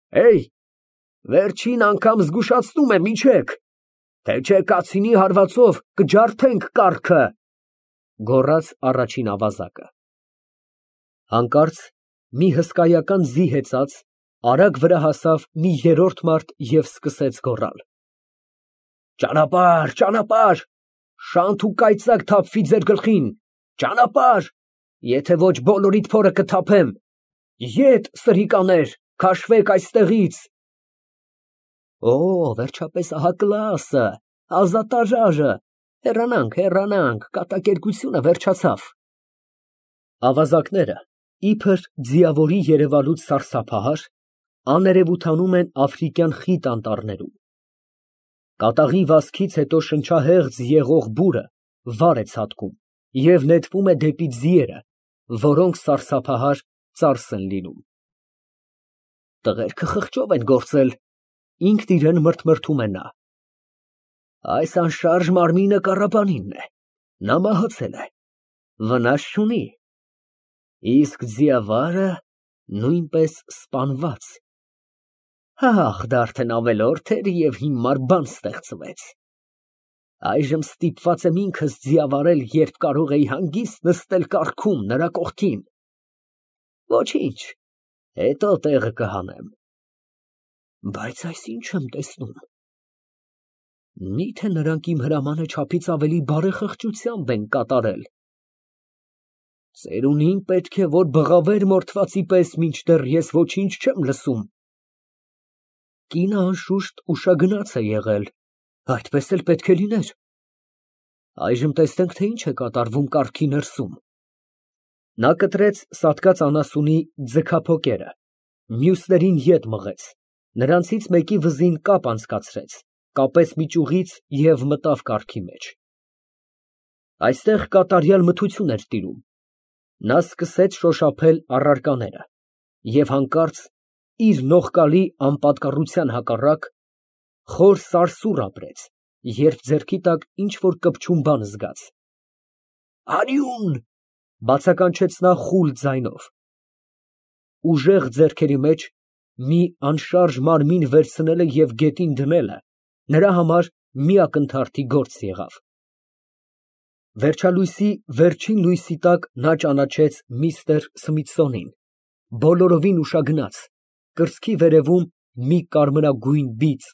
Էյ, վերջին անգամ զգուշացնում եմ, իջեք, թե չէ կացինի հարվածով կջարդենք կառքը, գոռաց առաջին ավազակը։ Հանկարծ մի հսկայական ձի հեծած արագ վրա հասավ մի երրորդ մարդ և սկսեց գոռալ. Ճանապարհ, ճանապարհ, շանթ ու կայծակ թափվի ձեր գլխին, ճանապարհ, եթե ոչ բոլորիդ փորը կթափեմ, ետ սրիկաներ, քաշվեք այստեղից։ Օ, վերջապես ահա Կլաուսը, ազատարարը, հեռանանք, կատակերգությունը վերջացավ։ Ավազակները, իբր ձիավորի երևալուց սարսափահար, աներևութանում են աֆրիկյան խիտ անտառներում։ Կատաղի վազքից հետո շնչահեղձ եղող բուրը վար է ցատկում և նետվում է դեպի ձիերը, որոնք սարսափահար ծարս են լինում։ Տղերքը խղճով են գործել, ինքն իրան մրթմրթում է նա։ Այս անշարժ մարմինը կառապանինն է, նա մահացել է, վնաս չունի, իսկ ձիավարը նույնպես սպանված։ Ահ, դա արդեն ավելորդ էր և հիմար բան ստեղծվեց։ Այժմ ստիպված եմ ինքս ձիավարել, երբ կարող էի հանգիստ նստել կառքում նրա կողքին։ Ոչինչ, հետո տեղը կհանեմ։ Բայց այս ինչ եմ տեսնում։ Միթե նրանք իմ հրամանը չափից ավելի բարեխղճությամբ են կատարել։ Ծերունին պետք է, որ բղավեր մորթվածի պես, մինչդեռ ես ոչինչ չեմ լսում։ Կինը անշուշտ ուշագնաց է եղել, այդպես էլ պետք է լիներ։ Այժմ տեսնենք, թե ինչ է կատարվում կառքի ներսում։ Նա կտրեց սատկած անասունի ձգափոկերը, մյուսներին ետ մղեց, նրանցից մեկի վզին կապ անցկացրեց, կապեց մի ճյուղից և մտավ կառքի մեջ։ Այստեղ կատարյալ մթություն էր տիրում։ Նա սկսեց շոշափել առարկաները և հանկարծ իր նողկալի անպատկառության հակառակ խոր սարսուռ ապրեց, երբ ձեռքի տակ ինչ֊որ կպչուն բան զգաց։ Արյուն, բացականչեց նա խուլ ձայնով։ Ուժեղ ձեռքերի մեջ մի անշարժ մարմին վերցնելը և գետին դնելը նրա համար մի ակնթարթի գործ եղավ։ Վերջալույսի վերջին լույսի տակ նա ճանաչեց միստր Սմիթսոնին, բոլորովին ուշագնաց, կրծքի վերևում մի կարմրագույն բիծ։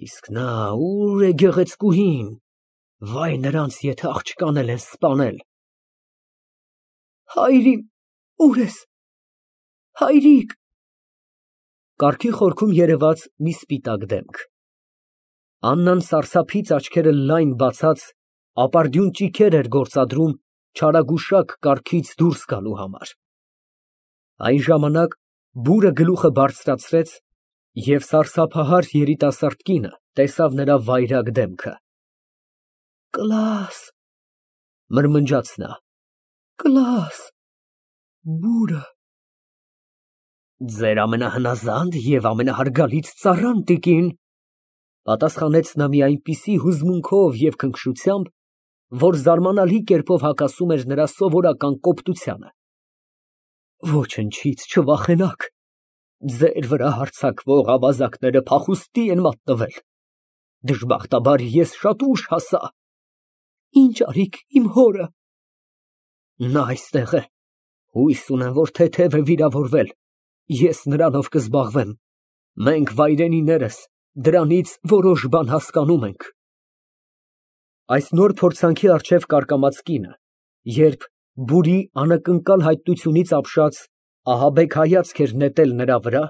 Իսկ նա ո՞ւր է գեղեցկուհին, վայ նրանց, եթե աղջկան են սպանել։ Հայր իմ, ուր ես, հայրիկ։ Կառքի խորքում երևաց մի սպիտակ դեմք։ Աննան սարսափից աչքերը լայն բացած, ապարդյուն ճիգեր էր գործադրում չարագուշակ կառքից դուրս գալու համար։ Այն ժամանակ բուրը գլուխը բարձրացրեց, և սարսափահար երիտասարդ կինը տեսավ նրա վայրագ դեմքը։ Կլաս, մրմնջաց նա, Կլաս, բուրը։ Ձեր ամենահնազանդ և ամենահարգալից ծառան, տիկին, պատասխանեց նա մի այնպիսի հուզմունքով և քնքշությամբ, որ զարմանալի կերպով հակասում էր նրա սովորական կոպտությանը։ Ոչնչից չվախենաք, ձեր վրա հարձակվող ավազակները փախուստի են մատնվել։ Դժբախտաբար ես շատ ուշ հասա։ Ինչ արիք իմ հորը։ Նա այստեղ է, հույս ունեմ, որ թեթև է վիրավորվել, ես նրանով կզբաղվեմ, մենք վայրենիներս դրանից որոշ բան հասկանում ենք։ Այս նոր փորձանքի առջև կարկամած կինը, երբ բուրի անակնկալ հայտնությունից ապշած ահաբեկ հայացք էր նետել նրա վրա,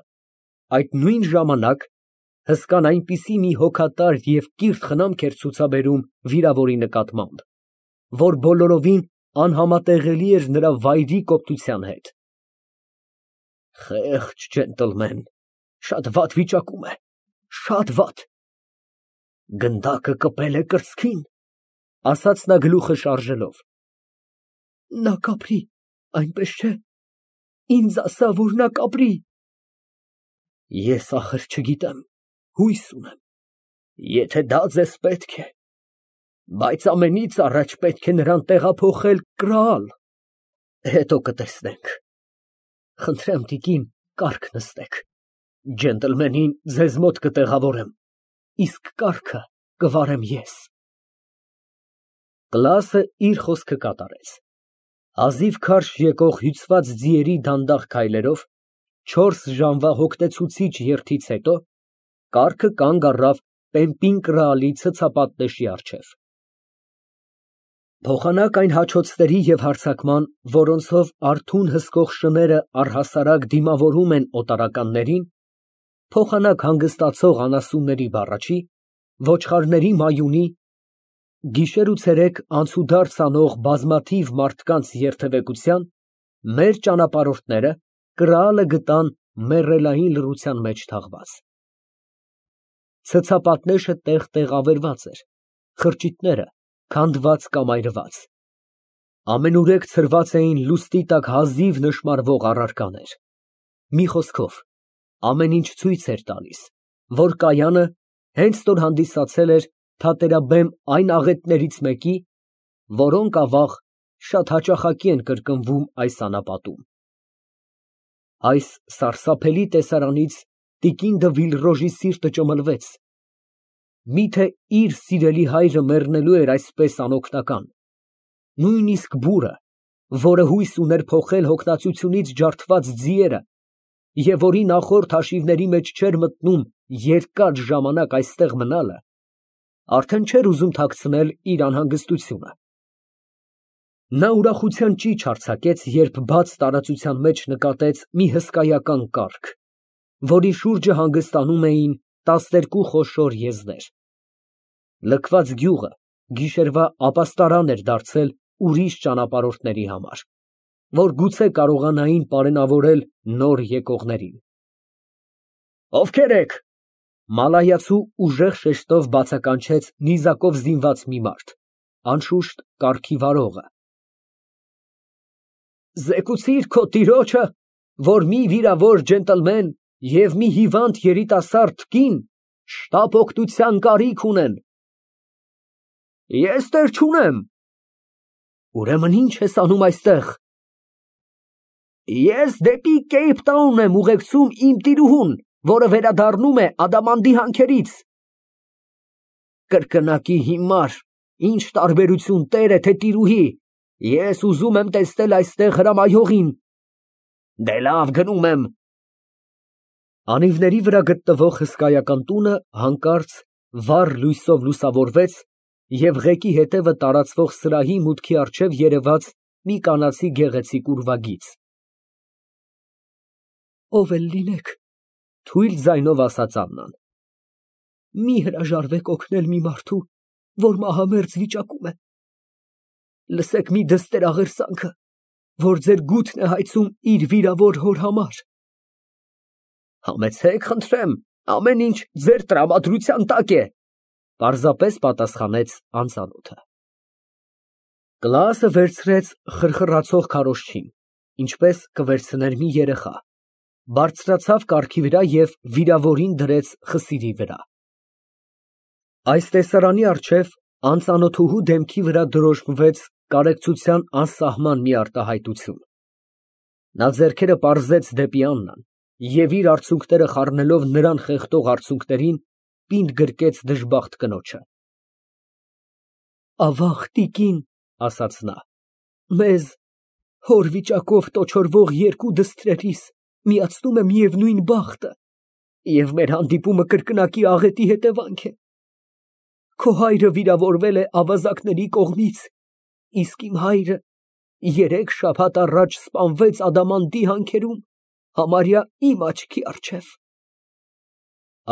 այդ նույն ժամանակ հսկան այնպիսի մի հոգատար և կիրթ խնամք էր ցուցաբերում վիրավորի նկատմամբ, որ բոլորովին անհամատեղելի էր նրա վայրի կոպտության հետ։ Խեղճ ջենտլմեն, շատ վատ վիճակում է, շատ վատ։ Գնդակը կպել է կրծքին, ասաց նա գլուխը շարժելով։ Նա կապրի, այնպես չէ։ Ինձ ասա, որ նա կապրի։ Ես ախր չգիտեմ, հույս ունեմ, եթե դա ձեզ պետք է, բայց ամենից առաջ պետք է նրան տեղափոխել Կրաալ, հետո կտեսնենք։ Խնդրեմ, տիկին, կառք նստեք։ Ջենտլմենին ձեզ մոտ կտեղավորեմ, իսկ կառքը կվարեմ ես։ Կլասը իր խոսքը կատարեց։ Հազիվ քարշ եկող հյուծված ձիերի դանդաղ քայլերով 4 ժամվա հոգնեցուցիչ երթից հետո կառքը կանգ առավ պեմպին կրալի ցցապատնեշի առջև։ Փոխանակ այն հաչոցների և հարձակման, որոնցով արթուն հսկող շները առհասարակ դիմավորում են օտարականներին, փոխանակ հանգստացող անասունների բառաչի, ոչխարների մայունի, գիշեր ու ցերեկ անցուդարձ անող բազմաթիվ մարդկանց երթևեկության, մեր ճանապարհորդները կրալը գտան մեռելային լռության մեջ թաղված։ Ցցապատնեշը տեղ ավերված էր, խրճիթները քանդված կամ այրված։ Ամենուրեք ցրված էին լուսնի տակ հազիվ նշմարվող առարկաներ։ Մի խոսքով, ամեն ինչ ցույց էր տալիս, որ կայանը հենց նոր հանդիսացել էր թատերաբեմ այն աղետներից մեկի, որոնք ավաղ շատ հաճախակի են կրկնվում այս անապատում։ Այս սարսափելի տեսարանից տիկին դը Վիլրոժի սիրտը ճմլվեց։ Միթե իր սիրելի հայրը մեռնելու էր այսպես անօգնական, նույնիսկ բուրը, որը հույս ուներ փոխել հոգնածությունից ջարդված ձիերը և որի նախորդ հաշիվների մեջ չէր մտնում երկար ժամանակ այստեղ մնալը, արդեն չէր ուզում թաքցնել իր անհանգստությունը։ Նա ուրախության ճիչ արձակեց, երբ բաց տարածության մեջ նկատեց մի հսկայական կառք, որի շուրջը հանգստանում էին 12 խոշոր եզներ։ Լքված գյուղը գիշերվա ապաստարան էր դարձել ուրիշ ճանապարհորդների համար, որ գուցե կարողանային պարենավորել նոր եկողներին։ Ովքե՞ր եք։ Մալայացու ուժեղ շեշտով բացականչեց նիզակով զինված մի մարդ, անշուշտ կառքի վարողը։ Զեկուցիր քո տիրոջը, որ մի վիրավոր ջենտլմեն և մի հիվանդ երիտասարդ կին շտապ օգնության կարիք ունեն։ Ես տեր չունեմ։ Ուրեմն ի՞նչ ես անում այստեղ։ Ես դեպի Կեյփթաուն եմ ուղեկցում իմ տիրուհուն, որը վերադառնում է ադամանդի հանքերից։ Կրկնակի հիմար, ինչ տարբերություն տերը, թե տիրուհի, ես ուզում եմ տեսնել այստեղ հրամայողին։ Դե լավ, գնում եմ։ Անիվների վրա գտնվող հսկայական տունը հանկարծ վառ լույսով լուսավորվեց և ղեկի հետևը տարածվող սրահի մուտքի առջև երևաց մի կանացի գեղեցիկ ուրվագիծ։ Ով էլ լինեք, թույլ ձայնով ասաց Աննան, մի հրաժարվեք օգնել մի մարդու, որ մահամերձ վիճակում է։ Լսեք մի դստեր աղերսանքը, որ ձեր գութն է հայցում իր վիրավոր հոր համար։ Համեցեք, խնդրեմ, ամեն ինչ ձեր տրամադրության տակ է, պարզապես պատասխանեց անծանոթը։ Կլասը վերցրեց խրխրացող քարոզչին, ինչպես կվերցներ մի երեխա, բարձրացավ կառքի վրա և վիրավորին դրեց խսիրի վրա։ Այս տեսարանի առջև անծանոթուհու դեմքի վրա դրոշմվեց կարեկցության անսահման մի արտահայտություն։ Նա ձեռքերը պարզեց դեպի Աննան և իր արցունքները խառնելով նրան խեղդող արցունքներին, պինդ գրկեց դժբախտ կնոջը։ Ավաղ տիկին, ասաց նա, մեզ հոր վիճակով տոչորվող երկու դստրերիս միացնում է միևնույն բախտը, և մեր հանդիպումը կրկնակի աղետի հետևանք է։ Քո հայրը վիրավորվել է ավազակների կողմից, իսկ իմ հայրը 3 շաբաթ առաջ սպանվեց ադամանդի հանքերում, համարյա իմ աչքի առջև։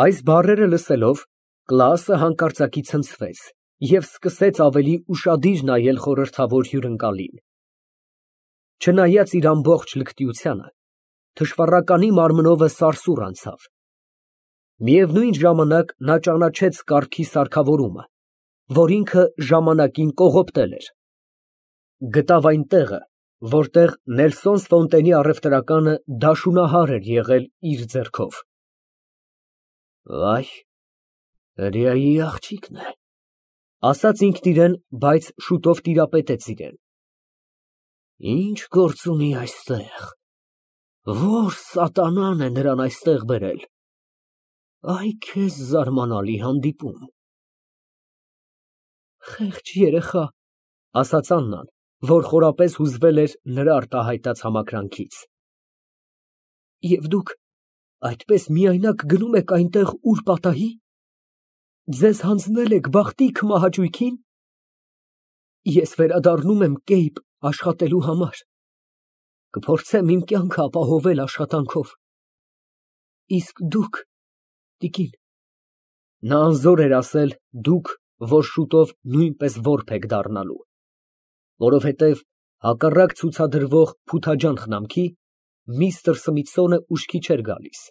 Այս բառերը լսելով, Կլասը հանկարծակի ցնցվեց և սկսեց ավելի ուշադիր նայել խորհրդավոր հյուրընկալին։ Չնայած իր ամբողջ լկտիությանը, թշվառականի մարմնովը սարսուռ անցավ։ Միևնույն ժամանակ նա ճանաչեց կառքի սարքավորումը, որ ինքը ժամանակին կողոպտել էր։ Գտավ այն տեղը, որտեղ Նելսոն Ֆոնտենի առևտրականը դաշունահար էր եղել իր ձեռքով։ Վայ, հրեայի աղջիկն է, ասաց ինքն իրեն, բայց շուտով տիրապետեց իրան։ Ինչ գործ ունի այստեղ։ Ո՞ր սատանան է նրան այստեղ բերել։ Այ քեզ զարմանալի հանդիպում։ Խեղճ երեխա, ասաց Աննան, որ խորապես հուզվել էր նրա արտահայտած համակրանքից։ Եվ դուք այդպես միայնակ գնում եք այնտեղ, ուր պատահի։ Ձեզ հանձնել եք բախտի քմահաճույքին։ Ես վերադառնում եմ Կեյբ աշխատելու համար։ Կփորձեմ իմ կյանքը ապահովել աշխատանքով։ Իսկ դուք, տիկին, նա անզոր էր ասել դուք, որ շուտով նույնպես որբ եք դառնալու, որովհետև հակառակ ցուցադրվող փութաջան խնամքի, միստր Սմիթսոնը ուշքի չէր գալիս։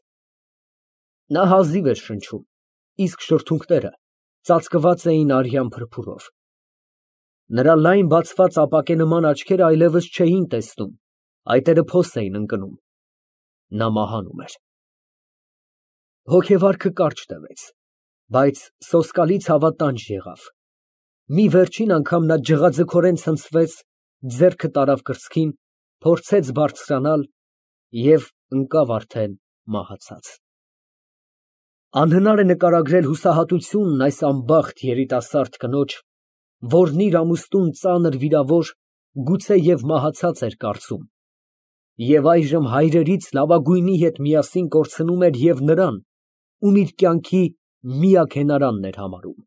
Նա հազիվ էր շնչում, իսկ շրթունքները ծածկված էին արյան փրփուրով։ Նրա լայն բացված ապակենման աչքերը այլևս չէին տեսնում, այտերը փոս էին ընկնում։ Նա մահանում էր։ Հոգեվարքը կարճ տևեց, բայց սոսկալի ցավատանջ եղավ։ Մի վերջին անգամ նա ջղաձգորեն ցնցվեց, ձեռքը տարավ կրծքին, փորձեց բարձրանալ և ընկավ արդեն մահացած։ Անհնար է նկարագրել հուսահատությունն այս անբախտ երիտասարդ կնոջ, որն իր ամուսնուն ծանր վիրավոր, գուցե և մահացած էր կարծում, և այժմ հայրերից լավագույնի հետ միասին կորցնում էր և նրան, ում իր կյանքի միակ հենարանն էր համարում։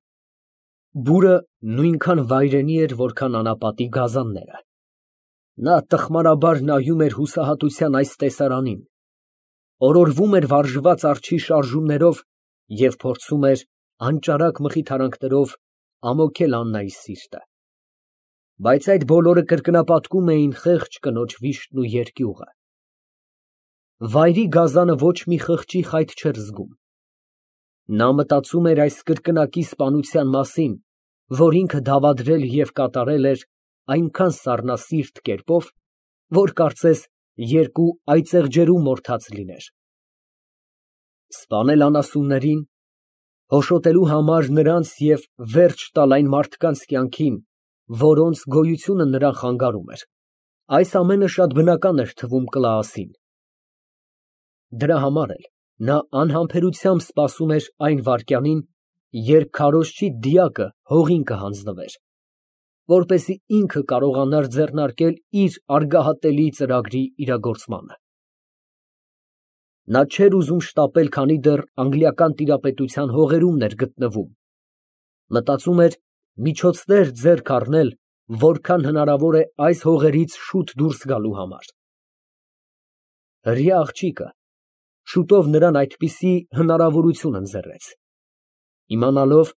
Բուրը նույնքան վայրենի էր, որքան անապատի գազանները։ Նա տխմարաբար նայում էր հուսահատության այս տեսարանին, օրորվում էր վարժված արջի շարժումներով և փորձում էր անճարակ մխիթարանքներով ամոթել Աննայի սիրտը։ Բայց այդ բոլորը կրկնապատկում էին խեղճ կնոջ վիշտն ու երկյուղը։ Վայրի գազանը ոչ մի խղճի խայտ չէր զգում։ Նա մտածում էր այս կրկնակի սպանության մասին, որ ինքը դավադրել և կատարել էր այնքան սառնասիրտ կերպով, որ կարծես երկու այծեղ ջերում մորթած լիներ։ Սպանել անասուններին, հոշոտելու համար նրանց և վերջ տալ այն մարդկանց կյանքին, որոնց գոյությունը նրան խանգարում էր, այս ամենը շատ բնական էր թվում Կլաասին։ Դրա համար էլ նա անհամբերությամբ սպասում էր այն վայրկյանին, երբ քարոզչի դիակը հողին կհանձնվեր, որպեսզի ինքը կարողանար ձեռնարկել իր արգահատելի ծրագրի իրագործմանը։ Նա չէր ուզում շտապել, քանի դեռ անգլիական տիրապետության հողերումն էր գտնվում, մտածում էր միջոցներ ձեռք առնել, որքան հնարավոր է այս հողերից շուտ դուրս գալու համար։ Հրեա աղջիկը շուտով նրան այդպիսի հնարավորություն ընձեռեց։ Իմանալով,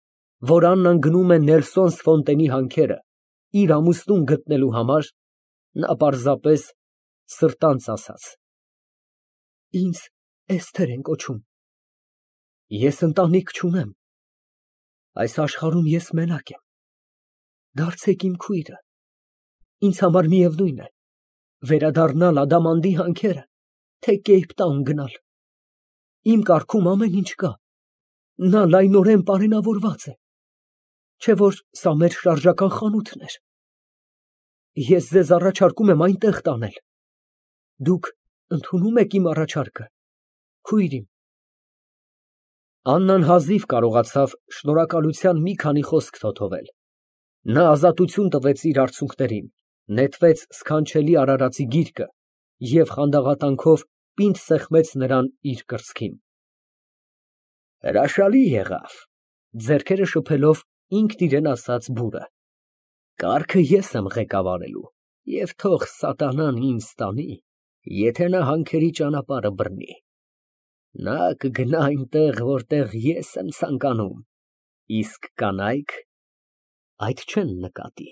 որ Աննան գնում է Նելսոնս Ֆոնտենի հանքերը իր ամուսնուն գտնելու համար, նա պարզապես սրտանց ասաց. Ինձ Էսթեր են կոչում։ Ես ընտանիք չունեմ։ Այս աշխարհում ես մենակ եմ։ Դարձեք իմ քույրը։ Ինձ համար միևնույն է, վերադառնալ Ադամանդի հանքերը, թե Կեյփտաուն գնալ։ Իմ կարգում ամեն ինչ կա։ Նա լայնորեն պարենավորված է, չէ որ սա մեր շարժական խանութն էր։ Ես ձեզ առաջարկում եմ այնտեղ տանել։ Դուք ընդունո՞ւմ եք իմ առաջարկը, քույր իմ։ Աննան հազիվ կարողացավ շնորհակալության մի քանի խոսք թոթովել։ Նա ազատություն տվեց իր արցունքներին, նետվեց սքանչելի արարածի գիրկը և խանդաղատանքով պինդ սեղմեց նրան իր կրծքին։ Հրաշալի եղավ, ձեռքերը շփելով ինքն իրեն ասաց բուրը։ Կառքը ես եմ ղեկավարելու, և թող սատանան ինձ տանի, եթե նա հանքերի ճանապարհը բռնի։ Նա կգնա այնտեղ, որտեղ ես եմ ցանկանում, իսկ կանայք այդ չեն նկատի։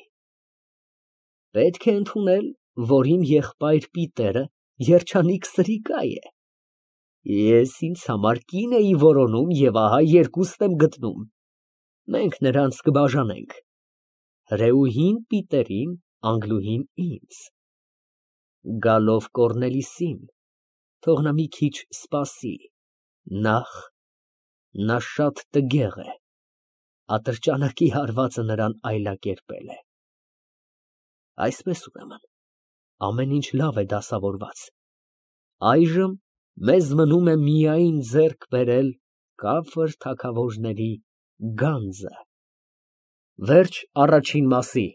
Պետք է ընդունել, որ իմ եղբայր Պիտերը երջանիկ սրիկա է։ Ես ինձ համար կին էի որոնում և ահա երկուստ եմ գտնում։ Մենք նրանց կբաժանենք, հրեուհին Պիտերին, անգլուհին ինձ։ Գալով Կոռնելիսին, թող նա մի քիչ սպասի, նախ նա շատ տգեղ է, ատրճանակի հարվածը նրան այլակերպել է։ Այսպես ուրեմն, ամեն ինչ լավ է դասավորված։ Այժմ մեզ մնում է միայն ձեռք բերել Կաֆիր թագավորների գանձը։ Վերջ առաջին մասի։